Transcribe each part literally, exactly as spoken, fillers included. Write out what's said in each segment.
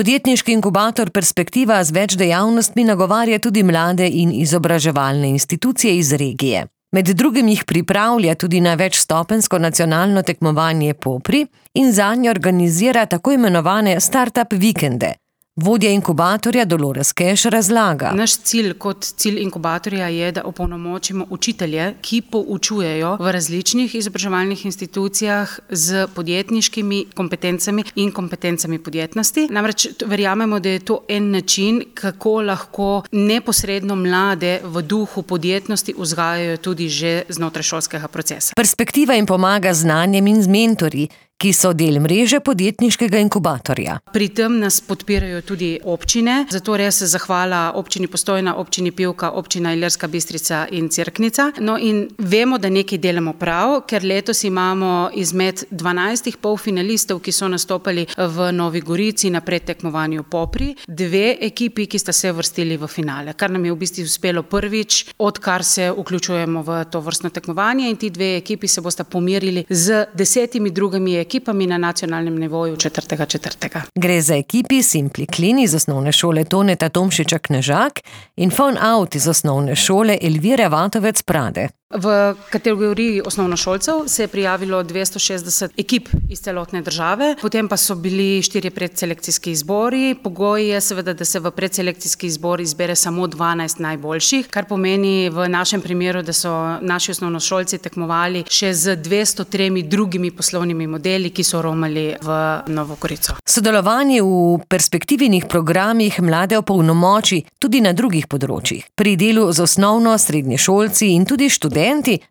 Podjetniški inkubator Perspektiva z več dejavnostmi nagovarja tudi mlade in izobraževalne institucije iz regije. Med drugim jih pripravlja tudi na večstopenjsko nacionalno tekmovanje Popri in zanje organizira tako imenovane start-up vikende. Vodja inkubatorja Dolores Keš razlaga. Naš cilj kot cilj inkubatorja je, da opolnomočimo učitelje, ki poučujejo v različnih izobraževalnih institucijah z podjetniškimi kompetencami in kompetencami podjetnosti. Namreč verjamemo, da je to en način, kako lahko neposredno mlade v duhu podjetnosti vzgajajo tudi že znotraj šolskega procesa. Perspektiva jim pomaga z znanjem in z mentorji, ki so del mreže podjetniškega inkubatorja. Pri tem nas podpirajo tudi občine, zato res zahvala občini Postojna, občini Pivka, občina Ilirska Bistrica in Cerknica. No in vemo, da nekaj delamo prav, ker letos imamo izmed dvanajstih polfinalistov, ki so nastopali v Novi Gorici na predtekmovanju Popri, dve ekipi, ki sta se vrstili v finale, kar nam je v bistvu uspelo prvič, odkar se vključujemo v to vrstno tekmovanje, in ti dve ekipi se bosta pomerili z desetimi drugimi ekipami ekipami na nacionalnem nivoju četrtega četrtega. Gre za ekipi Simply Clean iz osnovne šole Toneta Tomšiča Knežak in Phone Out iz osnovne šole Elvire Vatovec Prade. V kategoriji osnovnošolcev se je prijavilo dvesto šestdeset ekip iz celotne države, potem pa so bili štirje predselekcijski izbori. Pogoj je seveda, da se v predselekcijski izbor izbere samo dvanajst najboljših, kar pomeni v našem primeru, da so naši osnovnošolci tekmovali še z dvesto tremi drugimi poslovnimi modeli, ki so romali v Novo Gorico. Sodelovanje v perspektivnih programih mlade opolnomoči tudi na drugih področjih. Pri delu z osnovno, srednješolci in tudi študenti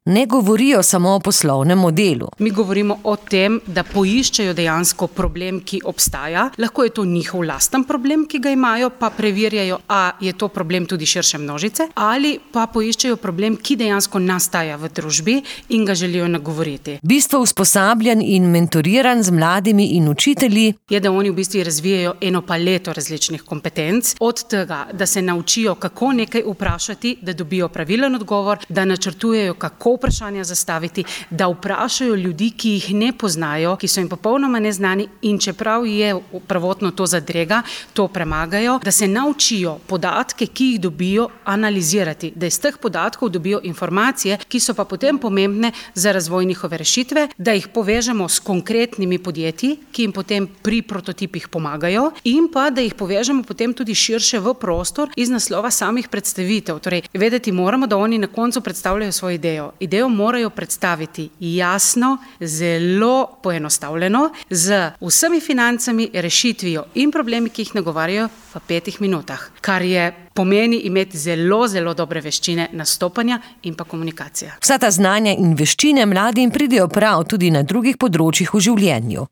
ne govorijo samo o poslovnem modelu. Mi govorimo o tem, da poiščejo dejansko problem, ki obstaja. Lahko je to njihov lasten problem, ki ga imajo, pa preverjajo, a je to problem tudi širše množice, ali pa poiščejo problem, ki dejansko nastaja v družbi in ga želijo nagovoriti. Bistvo usposabljanj in mentoriranj z mladimi in učitelji je, da oni v bistvu razvijajo eno paleto različnih kompetenc, od tega, da se naučijo, kako nekaj vprašati, da dobijo pravilen odgovor, da načrtujejo, kako vprašanja zastaviti, da vprašajo ljudi, ki jih ne poznajo, ki so jim popolnoma neznani, in čeprav je prvotno to zadrega, to premagajo, da se naučijo podatke, ki jih dobijo, analizirati, da iz teh podatkov dobijo informacije, ki so pa potem pomembne za razvoj njihove rešitve, da jih povežemo s konkretnimi podjetji, ki jim potem pri prototipih pomagajo, in pa da jih povežemo potem tudi širše v prostor iz naslova samih predstavitev. Torej, vedeti moramo, da oni na koncu predstavljajo svojo idejo. Idejo morajo predstaviti jasno, zelo poenostavljeno, z vsemi financami, rešitvijo in problemi, ki jih nagovarjajo v petih minutah, kar je pomeni imeti zelo, zelo dobre veščine nastopanja in pa komunikacija. Vsa ta znanja in veščine mladim pridejo prav tudi na drugih področjih v življenju.